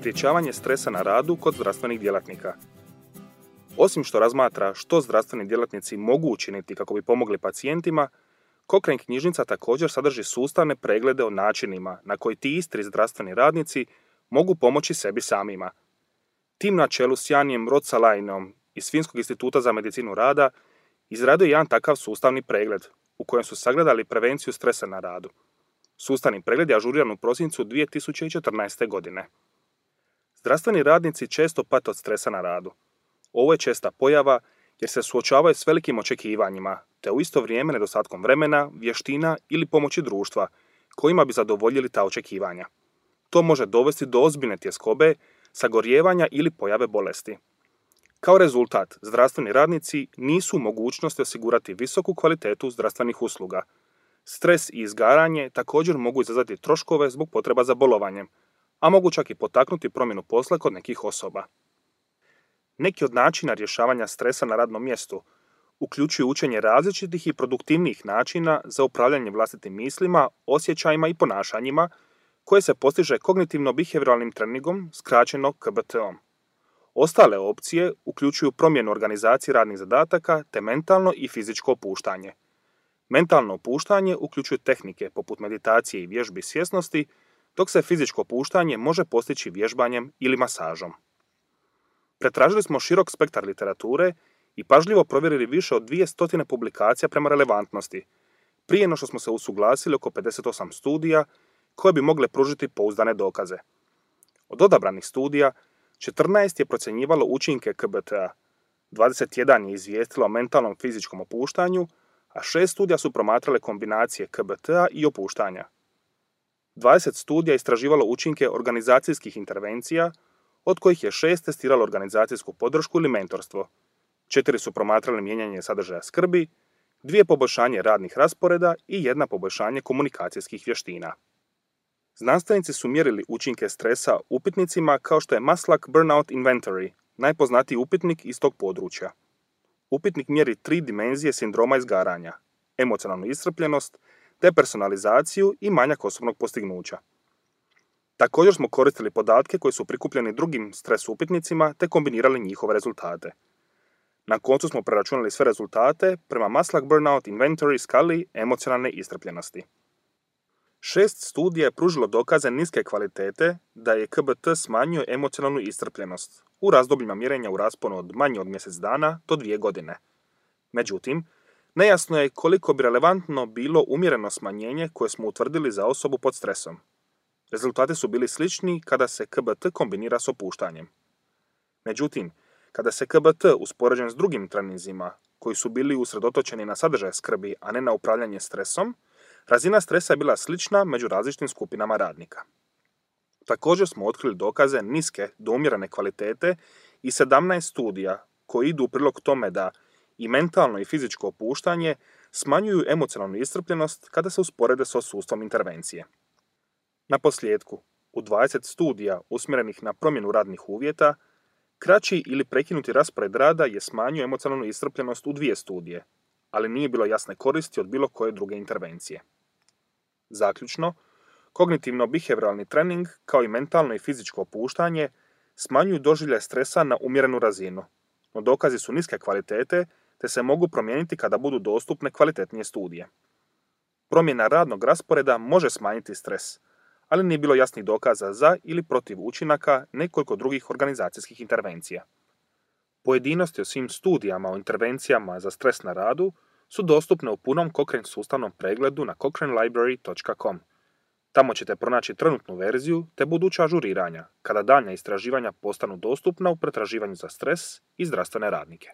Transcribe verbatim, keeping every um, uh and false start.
Sprječavanje stresa na radu kod zdravstvenih djelatnika. Osim što razmatra što zdravstveni djelatnici mogu učiniti kako bi pomogli pacijentima, Cochrane knjižnica također sadrži sustavne preglede o načinima na koji ti isti zdravstveni radnici mogu pomoći sebi samima. Tim na čelu s Janijem Ruotsalaineom iz Finskog instituta za medicinu rada izradio je jedan takav sustavni pregled u kojem su sagledali prevenciju stresa na radu. Sustavni pregled je ažuriran u prosincu dvije tisuće četrnaeste. godine. Zdravstveni radnici često pate od stresa na radu. Ovo je česta pojava jer se suočavaju s velikim očekivanjima, te u isto vrijeme nedostatkom vremena, vještina ili pomoći društva, kojima bi zadovoljili ta očekivanja. To može dovesti do ozbiljne tjeskobe, sagorijevanja ili pojave bolesti. Kao rezultat, zdravstveni radnici nisu u mogućnosti osigurati visoku kvalitetu zdravstvenih usluga. Stres i izgaranje također mogu izazvati troškove zbog potreba za bolovanjem, a mogu čak i potaknuti promjenu posla kod nekih osoba. Neki od načina rješavanja stresa na radnom mjestu uključuju učenje različitih i produktivnijih načina za upravljanje vlastitim mislima, osjećajima i ponašanjima koje se postiže kognitivno-behavioralnim treningom, skraćeno K B T-om. Ostale opcije uključuju promjenu organizacije radnih zadataka te mentalno i fizičko opuštanje. Mentalno opuštanje uključuje tehnike poput meditacije i vježbi svjesnosti, dok se fizičko opuštanje može postići vježbanjem ili masažom. Pretražili smo širok spektar literature i pažljivo provjerili više od dvije stotine publikacija prema relevantnosti, prije no što smo se usuglasili oko pedeset osam studija koje bi mogle pružiti pouzdane dokaze. Od odabranih studija, četrnaest je procjenjivalo učinke K B T-a, dvadeset jedan je izvijestilo o mentalnom fizičkom opuštanju, a šest studija su promatrale kombinacije K B T-a i opuštanja. dvadeset studija istraživalo učinke organizacijskih intervencija, od kojih je šest testiralo organizacijsku podršku ili mentorstvo. Četiri su promatrali mijenjanje sadržaja skrbi, dvije poboljšanje radnih rasporeda i jedna poboljšanje komunikacijskih vještina. Znanstvenici su mjerili učinke stresa upitnicima kao što je Maslach Burnout Inventory, najpoznatiji upitnik iz tog područja. Upitnik mjeri tri dimenzije sindroma izgaranja: emocionalnu iscrpljenost, depersonalizaciju i manjak osobnog postignuća. Također smo koristili podatke koji su prikupljeni drugim stres upitnicima te kombinirali njihove rezultate. Na koncu smo preračunali sve rezultate prema Maslach Burnout Inventory skali emocionalne iscrpljenosti. Šest studija je pružilo dokaze niske kvalitete da je K B T smanjio emocionalnu iscrpljenost u razdobljima mjerenja u rasponu od manje od mjesec dana do dvije godine. Međutim, nejasno je koliko bi relevantno bilo umjereno smanjenje koje smo utvrdili za osobu pod stresom. Rezultati su bili slični kada se K B T kombinira s opuštanjem. Međutim, kada se K B T uspoređen s drugim treninzima, koji su bili usredotočeni na sadržaj skrbi, a ne na upravljanje stresom, razina stresa je bila slična među različitim skupinama radnika. Također smo otkrili dokaze niske do umjerene kvalitete i sedamnaest studija koji idu u prilog tome da i mentalno i fizičko opuštanje smanjuju emocionalnu iscrpljenost kada se usporede s sustavom intervencije. Na posljedku, u dvadeset studija usmjerenih na promjenu radnih uvjeta, kraći ili prekinuti raspored rada je smanjio emocionalnu iscrpljenost u dvije studije, ali nije bilo jasne koristi od bilo koje druge intervencije. Zaključno, kognitivno-behavioralni trening kao i mentalno i fizičko opuštanje smanjuju doživljaj stresa na umjerenu razinu, no dokazi su niske kvalitete te se mogu promijeniti kada budu dostupne kvalitetnije studije. Promjena radnog rasporeda može smanjiti stres, ali nije bilo jasnih dokaza za ili protiv učinaka nekoliko drugih organizacijskih intervencija. Pojedinosti o svim studijama o intervencijama za stres na radu su dostupne u punom Cochrane sustavnom pregledu na cochrane library dot com. Tamo ćete pronaći trenutnu verziju te buduća ažuriranja, kada daljnja istraživanja postanu dostupna u pretraživanju za stres i zdravstvene radnike.